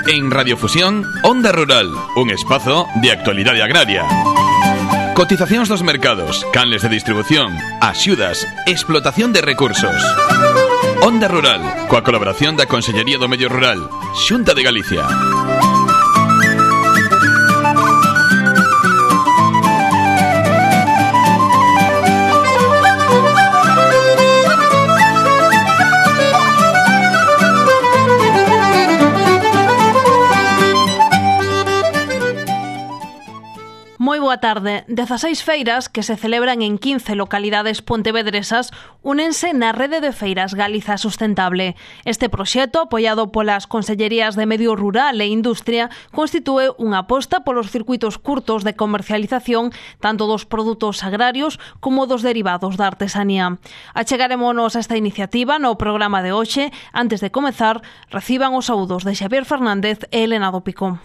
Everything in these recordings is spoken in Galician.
En Radiofusión, Onda Rural, un espazo de actualidade agraria. Cotizacións dos mercados, canles de distribución, axudas, explotación de recursos. Onda Rural, coa colaboración da Consellería do Medio Rural, Xunta de Galicia. Moi boa tarde. 16 feiras que se celebran en 15 localidades pontevedresas únense na Rede de Feiras Galiza Sustentable. Este proxecto, apoiado polas Consellerías de Medio Rural e Industria, constitúe unha aposta polos circuitos curtos de comercialización tanto dos produtos agrarios como dos derivados da artesanía. Achegarémonos a esta iniciativa no programa de hoxe. Antes de comezar, reciban os saúdos de Xavier Fernández e Elena do Pico.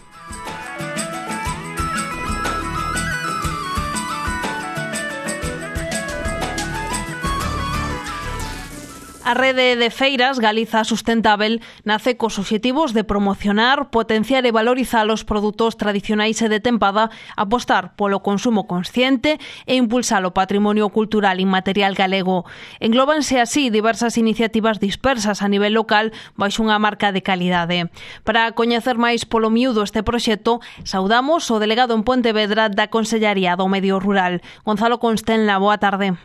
A Rede de Feiras Galiza Sustentável nace cos obxectivos de promocionar, potenciar e valorizar os produtos tradicionais e de tempada, apostar polo consumo consciente e impulsar o patrimonio cultural inmaterial galego. Englóbanse así diversas iniciativas dispersas a nivel local baixo unha marca de calidade. Para coñecer máis polo miúdo este proxecto, saudamos o delegado en Pontevedra da Consellería do Medio Rural, Gonzalo Constenla. Boa tarde.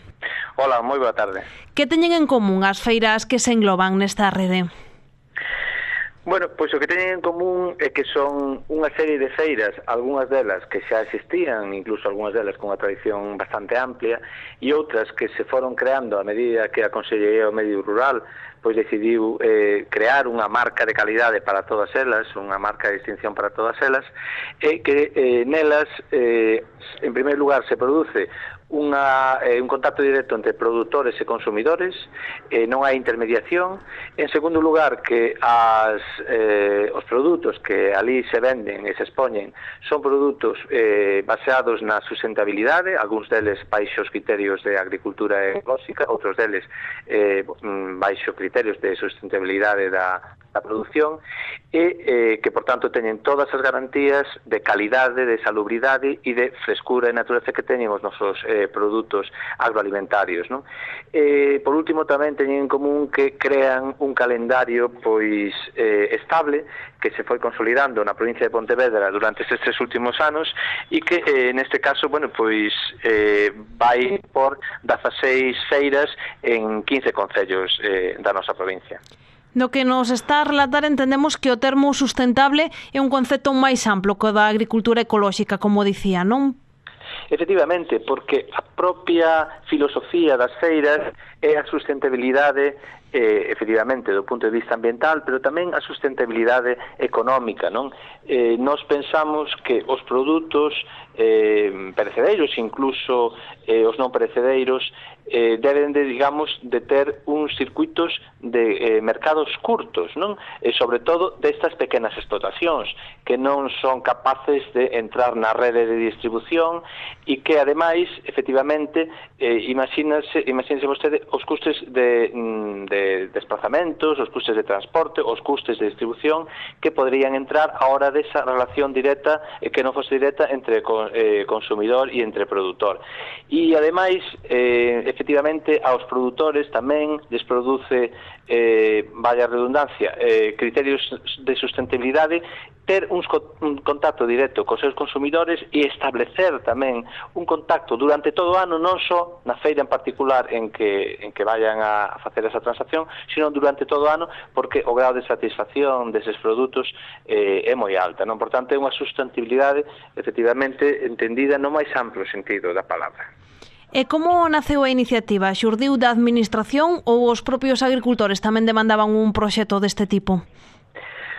Hola, moi boa tarde. Que teñen en común as feiras que se engloban nesta rede? Bueno, pois o que teñen en común é que son unha serie de feiras, algunhas delas que xa existían, incluso algunhas delas con unha tradición bastante amplia, e outras que se foron creando a medida que a Consellería do Medio Rural pois decidiu crear unha marca de calidade para todas elas, unha marca de distinción para todas elas, e que nelas, en primeiro lugar, se produce un contacto directo entre produtores e consumidores, non hai intermediación. En segundo lugar, que os produtos que ali se venden e se expoñen son produtos baseados na sustentabilidade, algúns deles baixo os criterios de agricultura ecolóxica, outros deles baixo criterios de sustentabilidade da produción, e que, por tanto, teñen todas as garantías de calidade, de salubridade e de frescura e natureza que teñen os nosos produtos agroalimentarios, non? Por último, tamén teñen en común que crean un calendario pois estable que se foi consolidando na provincia de Pontevedra durante estes últimos anos e que, neste caso, bueno, pois vai por 16 feiras en 15 concellos da nosa provincia. No que nos está a relatar, entendemos que o termo sustentable é un concepto máis amplo que o da agricultura ecolóxica, como dicía, non? Efectivamente, porque a propia filosofía das feiras é a sustentabilidade, efectivamente, do punto de vista ambiental, pero tamén a sustentabilidade económica, non? Nos pensamos que os produtos perecedeiros, incluso os non perecedeiros, deben de, digamos, de ter uns circuitos de mercados curtos, non? E sobre todo destas pequenas explotacións que non son capaces de entrar na rede de distribución e que, ademais, efectivamente, imagínense vostede os custes de desplazamentos, os custes de transporte, os custes de distribución que poderían entrar a hora desa relación directa que non fose directa entre consumidor e entre produtor. E, ademais, efectivamente, aos produtores tamén les produce, vaya redundancia, criterios de sustentabilidade, ter un contacto directo cos seus consumidores e establecer tamén un contacto durante todo o ano, non só na feira en particular en que vayan a facer esa transacción, sino durante todo o ano, porque o grado de satisfacción deses produtos é moi alta, non? Por tanto, é unha sustentabilidade efectivamente entendida no máis amplo sentido da palabra. E como naceu a iniciativa? Xurdiu da administración ou os propios agricultores tamén demandaban un proxecto deste tipo?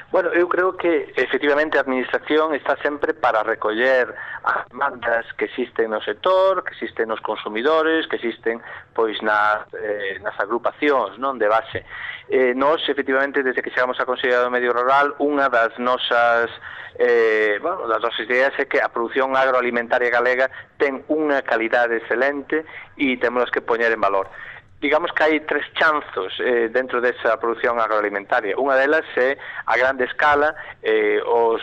Bueno, eu creo que efectivamente a administración está sempre para recoller as demandas que existen no sector, que existen nos consumidores, que existen pois nas agrupacións, non, de base. Nós, efectivamente, desde que chegamos a Consellería do Medio Rural, unha das nosas ideas é que a produción agroalimentaria galega ten unha calidade excelente e temos que poñer en valor. digamos que hai tres chanzos dentro desa produción agroalimentaria. Unha delas é a grande escala os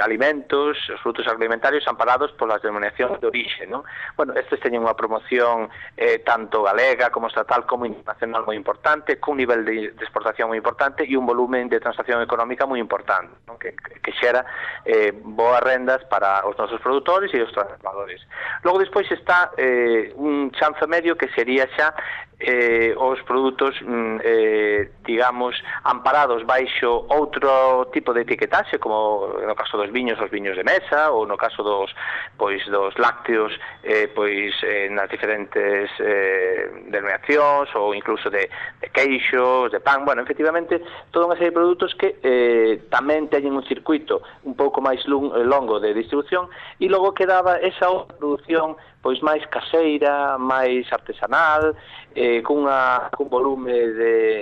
alimentos, os produtos agroalimentarios amparados polas denominacións de orixe, non? Bueno, estes teñen unha promoción tanto galega como estatal como internacional moi importante, cun nivel de exportación moi importante e un volumen de transacción económica moi importante, non? Que xera boas rendas para os nosos produtores e os trabajadores. Logo despois está un chanzo medio que sería xa os produtos digamos amparados baixo outro tipo de etiquetaxe, como no caso dos viños, os viños de mesa, ou no caso dos lácteos nas diferentes denominacións, ou incluso de queixos, de pan. Bueno, efectivamente, toda unha serie de produtos que tamén teñen un circuito un pouco máis longo de distribución, e logo quedaba esa outra produción pois máis caseira, máis artesanal, cun volume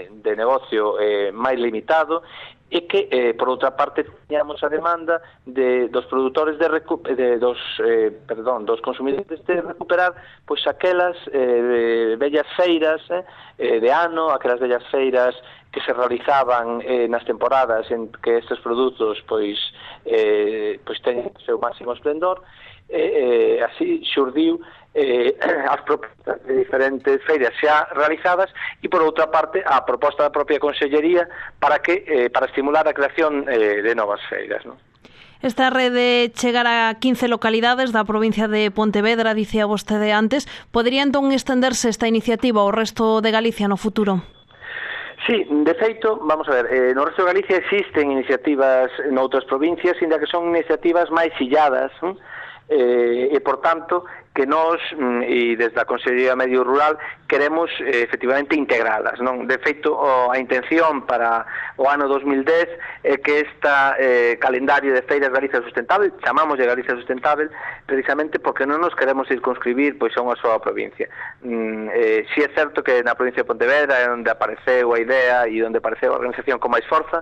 de negocio máis limitado, e que, por outra parte, teñamos a demanda dos produtores dos consumidores de recuperar pois aquelas bellas feiras de ano, aquelas bellas feiras que se realizaban nas temporadas en que estes produtos pois teñen o seu máximo esplendor. Así xurdiu as propostas de diferentes feiras xa realizadas e, por outra parte, a proposta da propia Consellería para estimular a creación de novas feiras, non? Esta rede chegará a 15 localidades da provincia de Pontevedra, dicía vostede antes. Podería entón estenderse esta iniciativa ao resto de Galicia no futuro? Sí, de feito, vamos a ver, no resto de Galicia existen iniciativas noutras provincias, ainda que son iniciativas máis illadas, e, por tanto, que nós, e desde a Consellería de Medio Rural, queremos efectivamente integralas, non? De feito, a intención para o ano 2010 é que esta calendario de feiras Galicia Sustentável, chamamos de Galicia Sustentável, precisamente porque non nos queremos circunscribir pois a unha soa provincia. Si é certo que na provincia de Pontevedra é onde apareceu a idea e onde apareceu a organización con máis forza,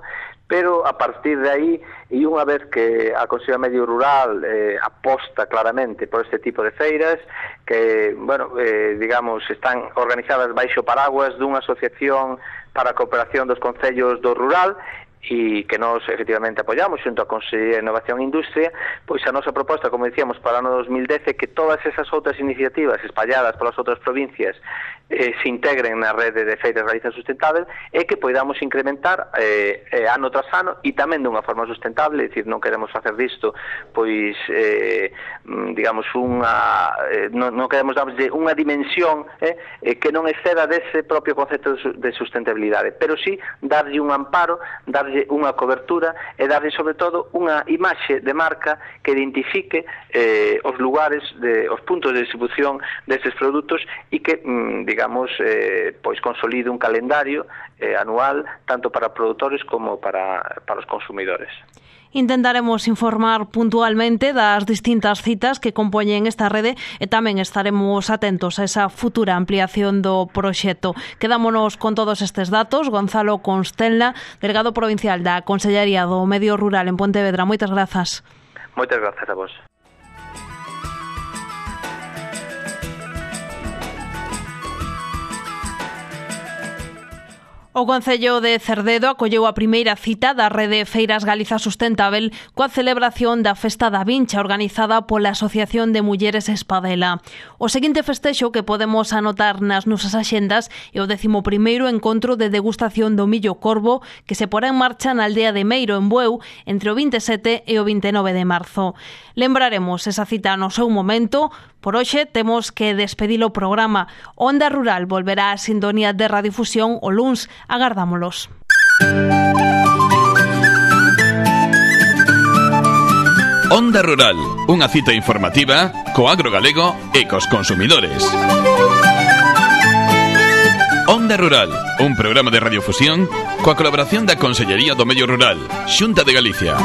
pero a partir de aí, e unha vez que a Consellería de Medio Rural aposta claramente por este tipo de feiras, que, bueno, digamos, están organizadas baixo paraguas dunha asociación para a cooperación dos concellos do rural, e que nós efectivamente apoiamos xunto a Consellería de Innovación e Industria, pois a nosa proposta, como dicíamos, para o ano 2010 é que todas esas outras iniciativas espalladas polas outras provincias se integren na rede de feiras Galicia Sustentável e que poidamos incrementar ano tras ano e tamén dunha forma sustentable, é dicir, non queremos facer disto pois digamos non queremos darlle unha dimensión que non exceda dese propio concepto de sustentabilidade, pero sí darlle un amparo, darlle unha cobertura e darlle sobre todo unha imaxe de marca que identifique os lugares, os puntos de distribución destes produtos e que, digamos, pois consolide un calendario anual tanto para produtores como para os consumidores. Intentaremos informar puntualmente das distintas citas que compoñen esta rede e tamén estaremos atentos a esa futura ampliación do proxecto. Quedámonos con todos estes datos. Gonzalo Constenla, delegado provincial da Consellería do Medio Rural en Pontevedra. Moitas grazas. Moitas grazas a vos. O Concello de Cerdedo acolleu a primeira cita da Rede Feiras Galiza Sustentável coa celebración da Festa da Vincha organizada pola Asociación de Mulleres Espadela. O seguinte festexo que podemos anotar nas nosas axendas é o 11º encontro de degustación do millo corvo que se porá en marcha na aldea de Meiro, en Bueu, entre o 27 e o 29 de marzo. Lembraremos esa cita no seu momento. Por hoxe temos que despedir o programa. Onda Rural volverá á sintonía de radiodifusión o luns. Agardámolos. Onda Rural, unha cita informativa co agro galego e cos consumidores. Onda Rural, un programa de radiofusión coa colaboración da Consellería do Medio Rural, Xunta de Galicia.